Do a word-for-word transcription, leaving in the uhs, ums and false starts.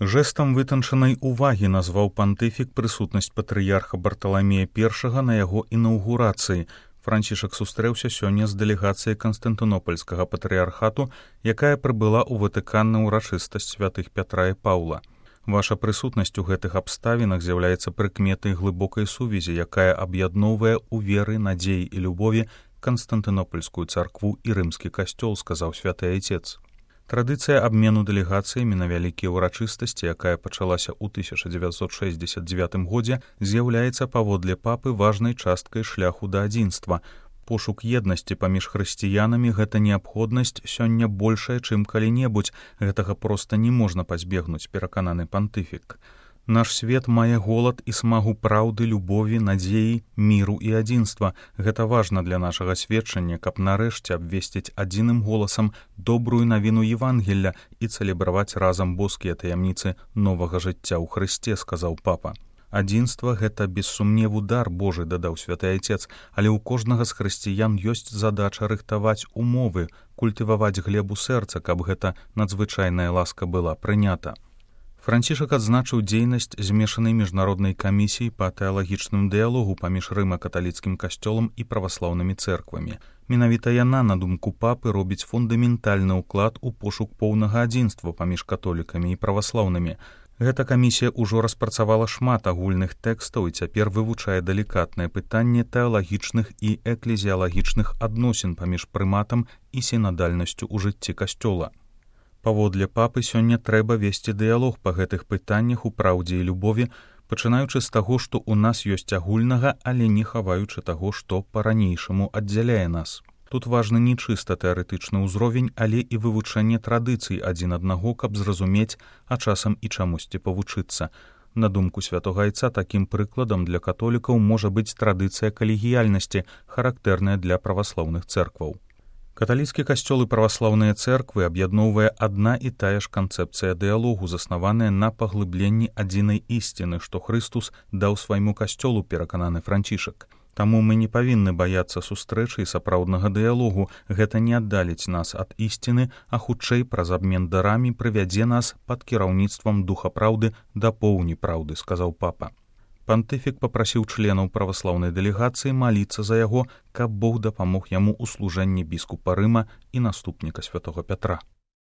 Жэстам вытанчанай увагі назваў пантыфік прысутнасць патрыярха Барталамея першага на яго інаўгурацыі. Францішак сустрэўся сёння з дэлегацыяй Канстантынопольскага патрыярхату, якая прыбыла ў Ватыкан на ўрачыстасць святых Пятра і Паўла. Ваша прысутнасць у гэтых абставінах з'яўляецца прыкметай глыбокай сувязі, якая аб'ядноўвае ў веры, надзеі і любові Канстантынопольскую царкву і рымскі касцёл, сказаў святы айцец. Традыцыя абмену дэлегацыямі на вялікія ўрачыстасці, якая пачалася ў тысяча дзевяцьсот шэсцьдзесят дзевятым годзе, з'яўляецца паводле папы важнай часткай шляху да адзінства. Пошук еднасці паміж хрысціянамі — гэта неабходнасць сёння большая, чым калі-небудзь. Гэтага проста не можна пазбегнуць, перакананы пантыфік. Наш свет мае голад і смагу праўды, любові, надзеі, міру і адзінства. Гэта важна для нашага сведчання, каб нарэшце абвесціць адзіным голасам добрую навіну Евангелля і цэлебраваць разам боскія таямніцы новага жыцця ў Хрысце, сказаў папа. Адзінства — гэта без сумневу дар Божы, дадаў святы айцец, але ў кожнага з хрысціян ёсць задача рыхтаваць умовы, культываваць глебу сэрца, каб гэта надзвычайная ласка была прынята. Францішак адзначыў дзейнасць змешанай міжнароднай камісіі па тэалагічным дыялогу паміж рыма-каталіцкім касцёлам і праваслаўнымі цэрквамі. Менавіта яна, на думку папы, робіць фундаментальны ўклад у пошук поўнага адзінства паміж католікамі і праваслаўнымі. Гэта камісія ўжо распрацавала шмат агульных тэкстаў і цяпер вывучае далікатнае пытанне тэалагічных і эклезіялагічных адносін паміж прыматам і сінадальнасцю ў жыцці касцёла. Паводле папы сёння трэба весці дыялог па гэтых пытаннях у праўдзе і любові, пачынаючы з таго, што ў нас ёсць агульнага, але не хаваючы таго, што па-ранейшаму аддзяляе нас. Тут важны не чыста тэарэтычны ўзровень, але і вывучэнне традыцый адзін аднаго, каб зразумець, а часам і чамусьці павучыцца. На думку святога айца, такім прыкладам для католікаў можа быць традыцыя калегіяльнасці, характэрная для праваслаўных цэркваў. Каталіцкі касцёл і праваслаўныя цэрквы аб'ядноўвае адна і тая ж канцэпцыя дыялогу, заснаваная на паглыбленні адзінай ісціны, што Хрыстус даў свайму касцёлу, перакананы Францішак. Таму мы не павінны баяцца сустрэчы і сапраўднага дыялогу. Гэта не аддаліць нас ад ісціны, а хутчэй праз абмен дарамі прывядзе нас пад кіраўніцтвам духа праўды да поўні праўды, сказаў папа. Пантыфік папрасіў членаў праваслаўнай дэлегацыі маліцца за яго, каб Бог дапамог яму ў служэнні біскупа Рыма і наступніка святога Пятра.